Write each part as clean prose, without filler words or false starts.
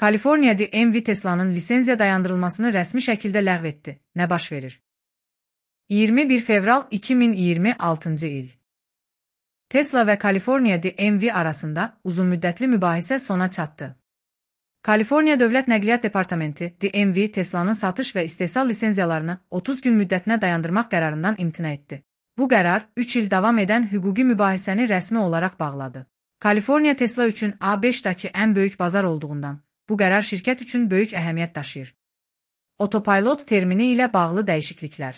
Kaliforniya DMV Tesla'nın lisenziya dayandırılmasını rəsmi şəkildə ləğv etdi. Nə baş verir? 21 fevral 2026 il. Tesla və Kaliforniya DMV arasında uzunmüddətli mübahisə sona çatdı. Kaliforniya Dövlət Nəqliyyat Departamenti DMV Tesla'nın satış və istehsal lisenziyalarını 30 gün müddətinə dayandırmaq qərarından imtina etdi. Bu qərar 3 il davam edən hüquqi mübahisəni rəsmi olaraq bağladı. Kaliforniya Tesla üçün A5-dakı ən böyük bazar olduğundan, bu qərar şirkət üçün böyük əhəmiyyət daşıyır. Otopilot termini ilə bağlı dəyişikliklər.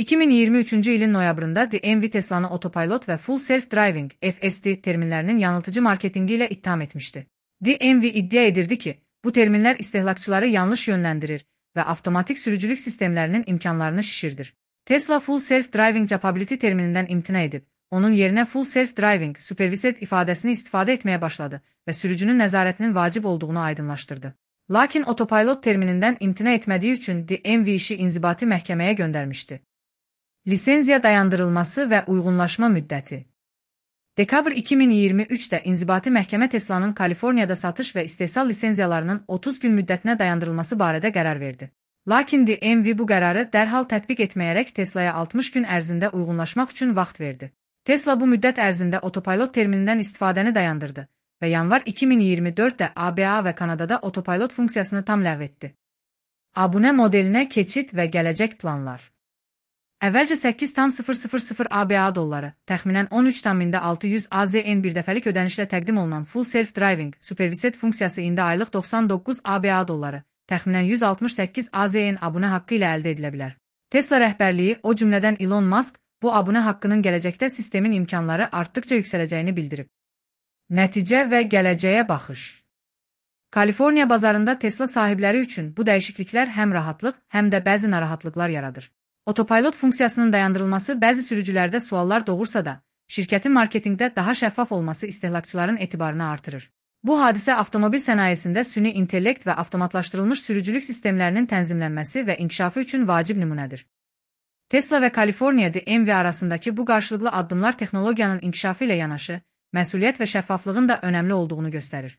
2023-cü ilin noyabrında DMV Tesla'nı otopilot və Full Self-Driving (FSD) terminlərinin yanıltıcı marketingi ilə ittiham etmişdi. DMV iddia edirdi ki, bu terminlər istehlakçıları yanlış yönləndirir və avtomatik sürücülük sistemlərinin imkanlarını şişirdir. Tesla Full Self-Driving Capability terminindən imtina edib, onun yerinə Full Self-Driving Supervised ifadəsini istifadə etməyə başladı və sürücünün nəzarətinin vacib olduğunu aydınlaşdırdı. Lakin otopilot terminindən imtina etmədiyi üçün DMV işi inzibati məhkəməyə göndərmişdi. Lisenziya dayandırılması və uyğunlaşma müddəti. Dekabr 2023-də inzibati məhkəmə Tesla'nın Kaliforniyada satış və istehsal lisenziyalarının 30 gün müddətinə dayandırılması barədə qərar verdi. Lakin DMV bu qərarı dərhal tətbiq etməyərək Tesla'ya 60 gün ərzində uyğunlaşmaq üçün vaxt verdi. Tesla bu müddət ərzində otopilot terminindən istifadəni dayandırdı və yanvar 2024-də ABA və Kanadada otopilot funksiyasını tam ləğv etdi. Abunə modelinə keçid və gələcək planlar. Əvvəlcə 8,000 ABA dolları, təxminən 13,600 AZN birdəfəlik ödənişlə təqdim olunan Full Self-Driving Supervised funksiyası indi aylıq 99 ABA dolları, təxminən 168 AZN abunə haqqı ilə əldə edilə bilər. Tesla rəhbərliyi, o cümlədən Elon Musk, bu abunə haqqının gələcəkdə sistemin imkanları artdıqca yüksələcəyini bildirib. Nəticə və gələcəyə baxış. Kaliforniya bazarında Tesla sahibləri üçün bu dəyişikliklər həm rahatlıq, həm də bəzi narahatlıqlar yaradır. Otopilot funksiyasının dayandırılması bəzi sürücülərdə suallar doğursa da, şirkətin marketinqdə daha şəffaf olması istehlakçıların etibarını artırır. Bu hadisə avtomobil sənayesində süni intellekt və avtomatlaşdırılmış sürücülük sistemlərinin tənzimlənməsi və inkişafı üçün vacib nümunədir. Tesla və Kaliforniya DMV arasındakı bu qarşılıqlı addımlar texnologiyanın inkişafı ilə yanaşı, məsuliyyət və şəffaflığın da önəmli olduğunu göstərir.